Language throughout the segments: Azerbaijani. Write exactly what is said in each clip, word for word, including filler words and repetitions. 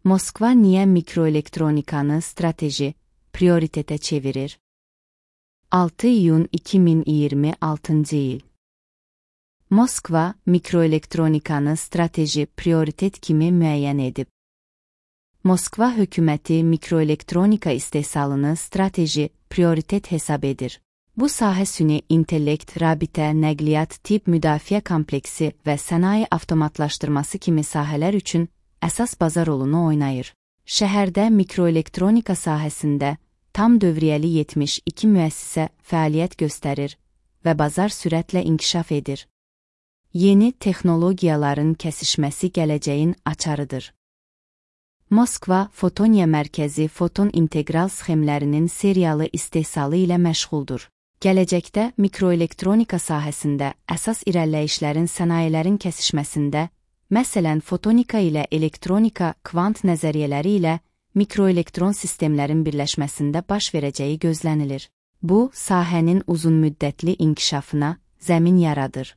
Moskva niyə mikroelektronikanı strateji, prioritetə çevirir? altı iyun iki min iyirmi altıncı il. Moskva mikroelektronikanı strateji prioritet kimi müəyyən edib. Moskva hökuməti mikroelektronika istehsalını strateji prioritet hesab edir. Bu sahə süni intellekt, rabitə, nəqliyyat, tibb müdafiə kompleksi və sənaye avtomatlaşdırması kimi sahələr üçün əsas bazar rolunu oynayır. Şəhərdə mikroelektronika sahəsində tam dövriyyəli yetmiş iki müəssisə fəaliyyət göstərir və bazar sürətlə inkişaf edir. Yeni texnologiyaların kəsişməsi gələcəyin açarıdır. Moskva Fotoniya mərkəzi foton integral sxemlərinin seriyalı istehsalı ilə məşğuldur. Gələcəkdə mikroelektronika sahəsində əsas irəliləyişlərin sənayələrin kəsişməsində, məsələn fotonika ilə elektronika kvant nəzəriyyələri ilə mikroelektron sistemlərin birləşməsində baş verəcəyi gözlənilir. Bu, sahənin uzunmüddətli inkişafına zəmin yaradır.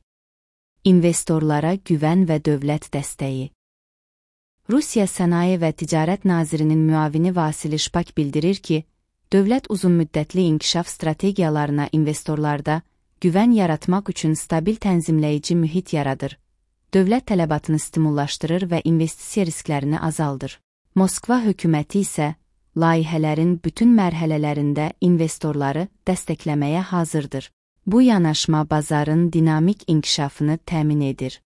İnvestorlara güvən və dövlət dəstəyi. Rusiya Sənaye və Ticarət Nazirinin müavini Vasili Şpak bildirir ki, dövlət uzunmüddətli inkişaf strategiyalarına investorlarda güvən yaratmaq üçün stabil tənzimləyici mühit yaradır, dövlət tələbatını stimullaşdırır və investisiya risklərini azaldır. Moskva hökuməti isə layihələrin bütün mərhələlərində investorları dəstəkləməyə hazırdır. Bu yanaşma bazarın dinamik inkişafını təmin edir.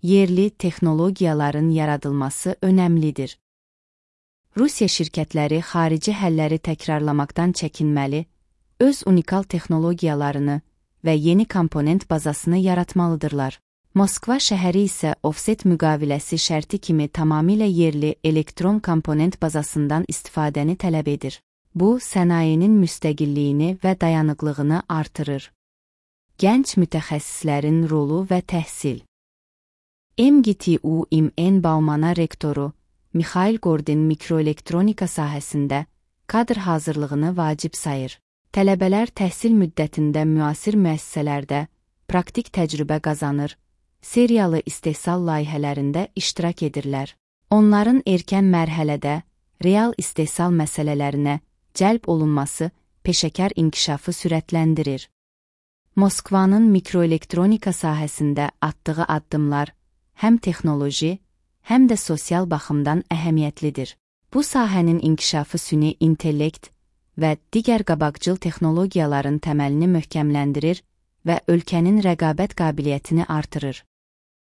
Yerli texnologiyaların yaradılması önəmlidir. Rusiya şirkətləri xarici həlləri təkrarlamaqdan çəkinməli, öz unikal texnologiyalarını və yeni komponent bazasını yaratmalıdırlar. Moskva şəhəri isə ofset müqaviləsi şərti kimi tamamilə yerli elektron komponent bazasından istifadəni tələb edir. Bu, sənayenin müstəqilliyini və dayanıqlığını artırır. Gənc mütəxəssislərin rolu və təhsil. M G T U İ M N Baumana rektoru Mikhail Gordin mikroelektronika sahəsində kadr hazırlığını vacib sayır. Tələbələr təhsil müddətində müasir müəssisələrdə praktik təcrübə qazanır, seriyalı istehsal layihələrində iştirak edirlər. Onların erkən mərhələdə real istehsal məsələlərinə cəlb olunması peşəkar inkişafı sürətləndirir. Moskvanın mikroelektronika sahəsində atdığı addımlar həm texnoloji, həm də sosial baxımdan əhəmiyyətlidir. Bu sahənin inkişafı süni intellekt və digər qabaqcıl texnologiyaların təməlini möhkəmləndirir və ölkənin rəqabət qabiliyyətini artırır.